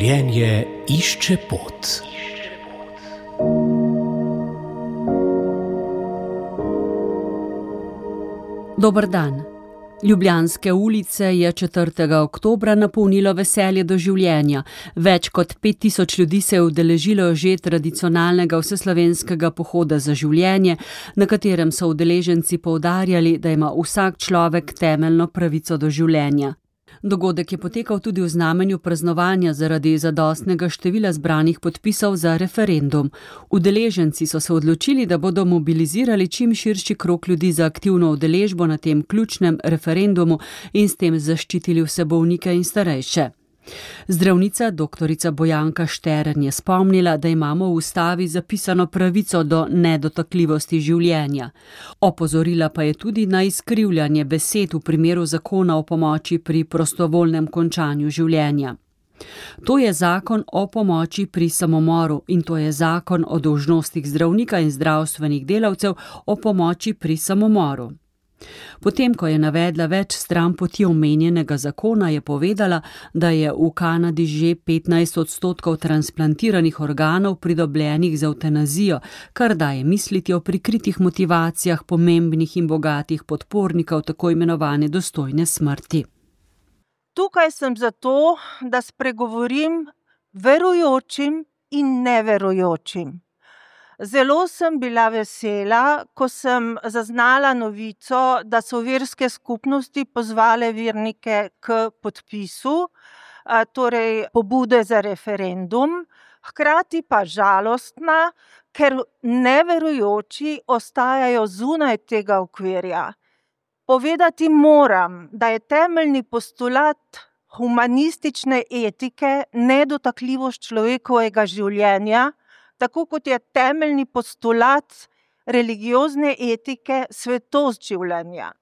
Življenje išče pot. Dober dan. Ljubljanske ulice je 4. oktobra napolnilo veselje do življenja. Več kot 5000 ljudi se je udeležilo že tradicionalnega vseslovenskega pohoda za življenje, na katerem so udeleženci poudarjali, da ima vsak človek temeljno pravico do življenja. Dogodek je potekal tudi v znamenju praznovanja zaradi zadostnega števila zbranih podpisov za referendum. Udeleženci so se odločili, da bodo mobilizirali čim širši krog ljudi za aktivno udeležbo na tem ključnem referendumu in s tem zaščitili vse bolnike in starejše. Zdravnica dr. Bojanka Štern je spomnila, da imamo v ustavi zapisano pravico do nedotakljivosti življenja. Opozorila pa je tudi na izkrivljanje besed v primeru zakona o pomoči pri prostovoljnem končanju življenja. To je zakon o pomoči pri samomoru in to je zakon o dolžnostih zdravnika in zdravstvenih delavcev o pomoči pri samomoru. Potem, ko je navedla več stran poti omenjenega zakona, je povedala, da je v Kanadi že 15% transplantiranih organov pridobljenih z evtanazijo, kar daje misliti o prikritih motivacijah pomembnih in bogatih podpornikov tako imenovane dostojne smrti. Tukaj sem zato, da spregovorim verujočim in neverujočim. Zelo sem bila vesela, ko sem zaznala novico, da so verske skupnosti pozvale vernike k podpisu, torej pobude za referendum, hkrati pa žalostna, ker neverujoči ostajajo zunaj tega okvirja. Povedati moram, da je temeljni postulat humanistične etike nedotakljivost človekovega življenja, tako kot je temeljni postulat religiozne etike svetost življenja.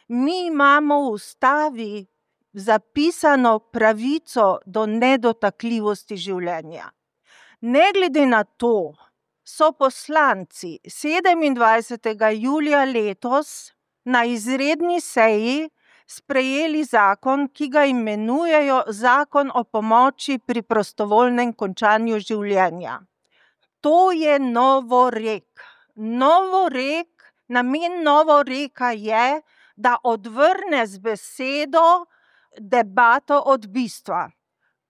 Mi imamo v ustavi zapisano pravico do nedotakljivosti življenja. Ne glede na to, so poslanci 27. julija letos na izredni seji sprejeli zakon, ki ga imenujejo Zakon o pomoči pri prostovoljnem končanju življenja. To je novorek. Namen novoreka je, da odvrne z besedo debato od bistva.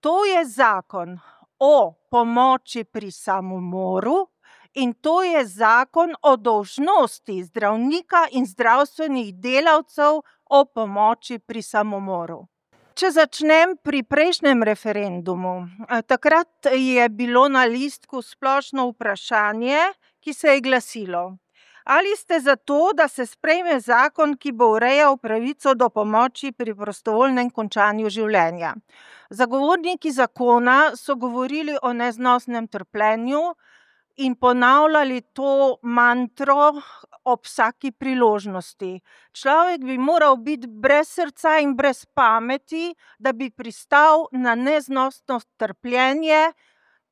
To je zakon o pomoči pri samomoru in to je zakon o dolžnosti zdravnika in zdravstvenih delavcev o pomoči pri samomoru. Če začnem pri prejšnjem referendumu, takrat je bilo na listku splošno vprašanje, ki se je glasilo: ali ste za to, da se sprejme zakon, ki bo urejal pravico do pomoči pri prostovoljnem končanju življenja? Zagovorniki zakona so govorili o neznosnem trpljenju in ponavljali to mantro ob vsaki priložnosti. Človek bi moral biti brez srca in brez pameti, da bi pristal na neznosno trpljenje,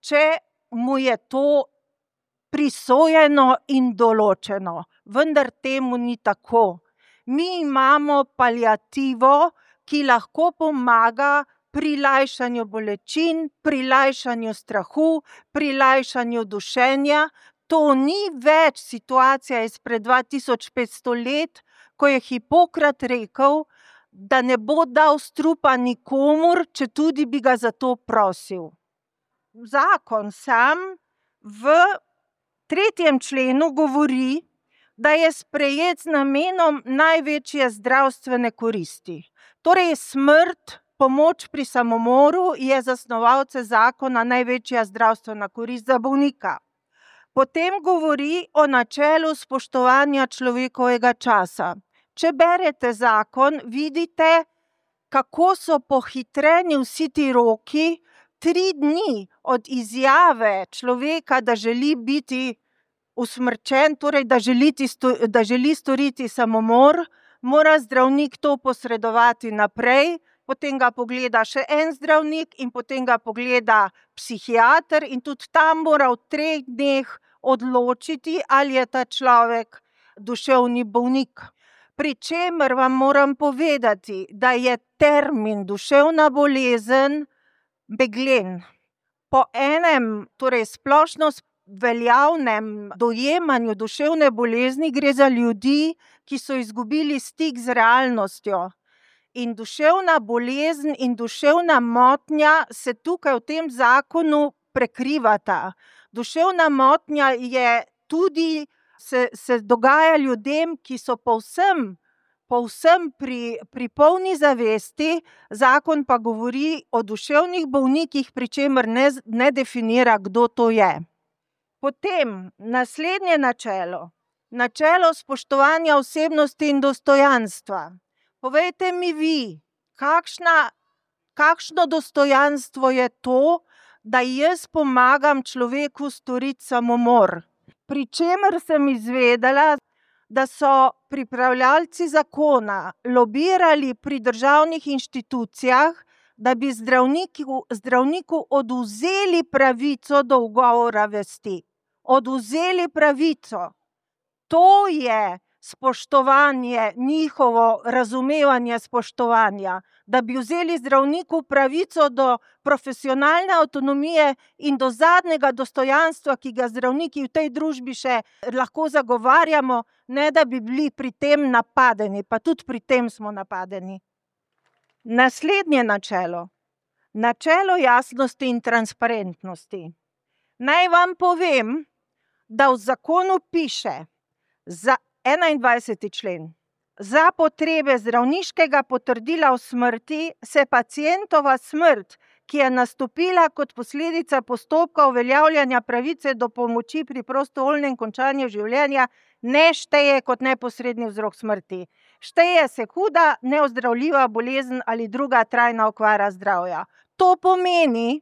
če mu je to prisojeno in določeno. Vendar temu ni tako. Mi imamo paliativo, ki lahko pomaga pri lajšanju bolečin, pri lajšanju strahu, pri lajšanju dušenja. To ni več situacija izpred 2500 let, ko je Hipokrat rekel, da ne bo dal strupa nikomur, če tudi bi ga za to prosil. Zakon sam v 3. členu govori, da je sprejet z namenom največje zdravstvene koristi. Torej smrt, pomoč pri samomoru je za snovalce zakona največja zdravstvena korist za bolnika. Potem govori o načelu spoštovanja človekovega časa. Če berete zakon, vidite, kako so pohitreni vsi ti roki. 3 dni od izjave človeka, da želi biti usmrčen, torej da želi storiti samomor, mora zdravnik to posredovati naprej, potem ga pogleda še en zdravnik in potem ga pogleda psihiater in tudi tam mora v 3 dneh odločiti, ali je ta človek duševni bolnik. Pri čemer vam moram povedati, da je termin duševna bolezen meglen. po enem, torej splošno veljavnem dojemanju duševne bolezni gre za ljudi, ki so izgubili stik z realnostjo. In duševna bolezen in duševna motnja se tukaj v tem zakonu prekrivata. Duševna motnja je tudi, se dogaja ljudem, ki so povsem pri polni zavesti, zakon pa govori o duševnih bolnikih, pri čemer ne definira, kdo to je. Potem naslednje načelo. Načelo spoštovanja osebnosti in dostojanstva. Povejte mi vi, kakšno dostojanstvo je to, da jaz pomagam človeku storiti samomor. Pri čemer sem izvedela, da so pripravljalci zakona lobirali pri državnih inštitucijah, da bi zdravniku odvzeli pravico do ugovora vesti. Odvzeli pravico. To je spoštovanje, njihovo razumevanje spoštovanja, da bi vzeli zdravniku pravico do profesionalne avtonomije in do zadnjega dostojanstva, ki ga zdravniki v tej družbi še lahko zagovarjamo, ne da bi bili pri tem napadeni, pa tudi pri tem smo napadeni. Naslednje načelo. Načelo jasnosti in transparentnosti. Naj vam povem, da v zakonu piše za 21. člen. Za potrebe zdravniškega potrdila o smrti se pacientova smrt, ki je nastopila kot posledica postopka uveljavljanja pravice do pomoči pri prostovoljnem končanju življenja, ne šteje kot neposredni vzrok smrti. Šteje se huda, neozdravljiva bolezen ali druga trajna okvara zdravja. To pomeni,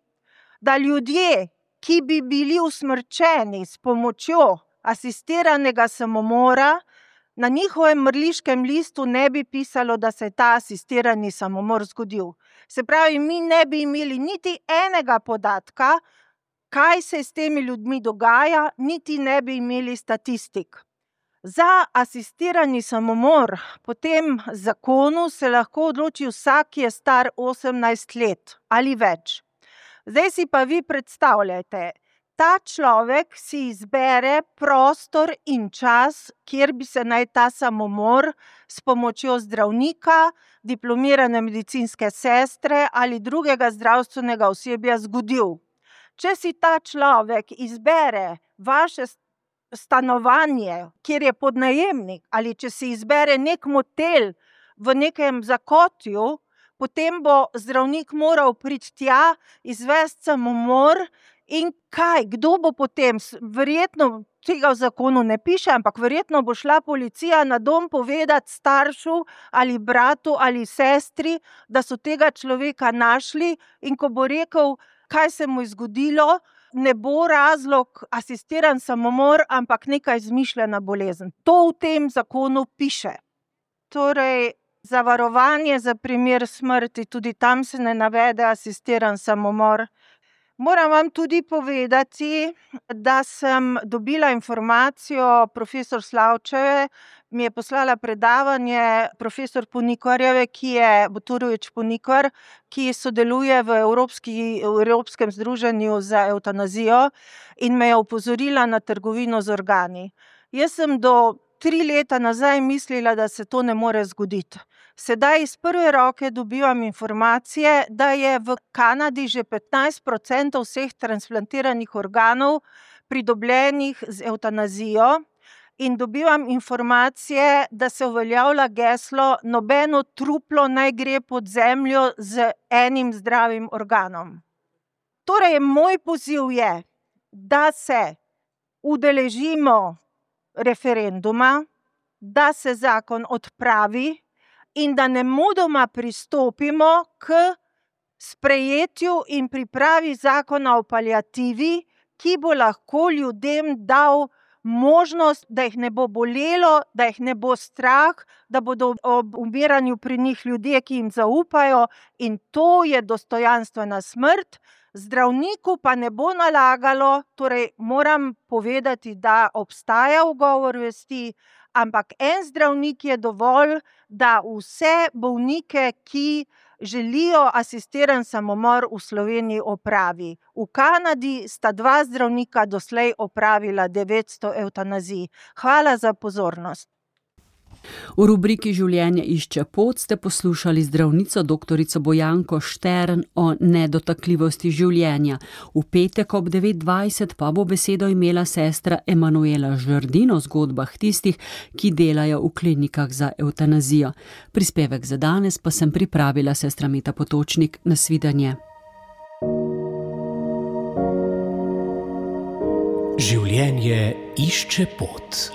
da ljudje, ki bi bili usmrčeni s pomočjo asistiranega samomora, na njihovem mrliškem listu ne bi pisalo, da se je ta asistirani samomor zgodil. Se pravi, mi ne bi imeli niti enega podatka, kaj se s temi ljudmi dogaja, niti ne bi imeli statistik. Za asistirani samomor po tem zakonu se lahko odloči vsak, ki je star 18 let ali več. Zdaj si pa vi predstavljajte, ta človek si izbere prostor in čas, kjer bi se naj ta samomor s pomočjo zdravnika, diplomirane medicinske sestre ali drugega zdravstvenega osebja zgodil. Če si ta človek izbere vaše stanovanje, kjer je podnajemnik, ali če si izbere nek motel v nekem zakotju, potem bo zdravnik moral priti tja, izvesti samomor. In kaj, kdo bo potem? Verjetno tega v zakonu ne piše, ampak verjetno bo šla policija na dom povedati staršu ali bratu ali sestri, da so tega človeka našli, in ko bo rekel, kaj se mu je zgodilo, ne bo razlog asistiran samomor, ampak neka izmišljena bolezen. To v tem zakonu piše. Torej, zavarovanje za primer smrti, tudi tam se ne navede asistiran samomor. Moram vam tudi povedati, da sem dobila informacijo profesor Slavčeve, mi je poslala predavanje profesor Ponikarjeve, ki je Butorovič Ponikar, ki sodeluje v Evropskem združenju za evtanazijo in me je opozorila na trgovino z organi. Jaz sem do 3 leta nazaj mislila, da se to ne more zgoditi. Sedaj iz prve roke dobivam informacije, da je v Kanadi že 15% vseh transplantiranih organov pridobljenih z evtanazijo, in dobivam informacije, da se uveljavlja geslo, nobeno truplo naj gre pod zemljo z enim zdravim organom. Torej, moj poziv je, da se udeležimo referenduma, da se zakon odpravi in da nemudoma pristopimo k sprejetju in pripravi zakona o paliativi, ki bo lahko ljudem dal možnost, da jih ne bo bolelo, da jih ne bo strah, da bodo ob umiranju pri njih ljudje, ki jim zaupajo, in to je dostojanstvena smrt. Zdravniku pa ne bo nalagalo, torej moram povedati, da obstaja ugovor vesti, ampak en zdravnik je dovolj, da vse bolnike, ki želijo asistiran samomor v Sloveniji opravi. V Kanadi sta 2 zdravnika doslej opravila 900 evtanazij. Hvala za pozornost. V rubriki Življenje išče pot ste poslušali zdravnico doktorico Bojanko Štern o nedotakljivosti življenja. V petek ob 9:20 pa bo besedo imela sestra Emanuela Žrdin o zgodbah tistih, ki delajo v klinikah za evtanazijo. Prispevek za danes pa sem pripravila sestra Meta Potočnik. Nasvidenje. Življenje išče pot.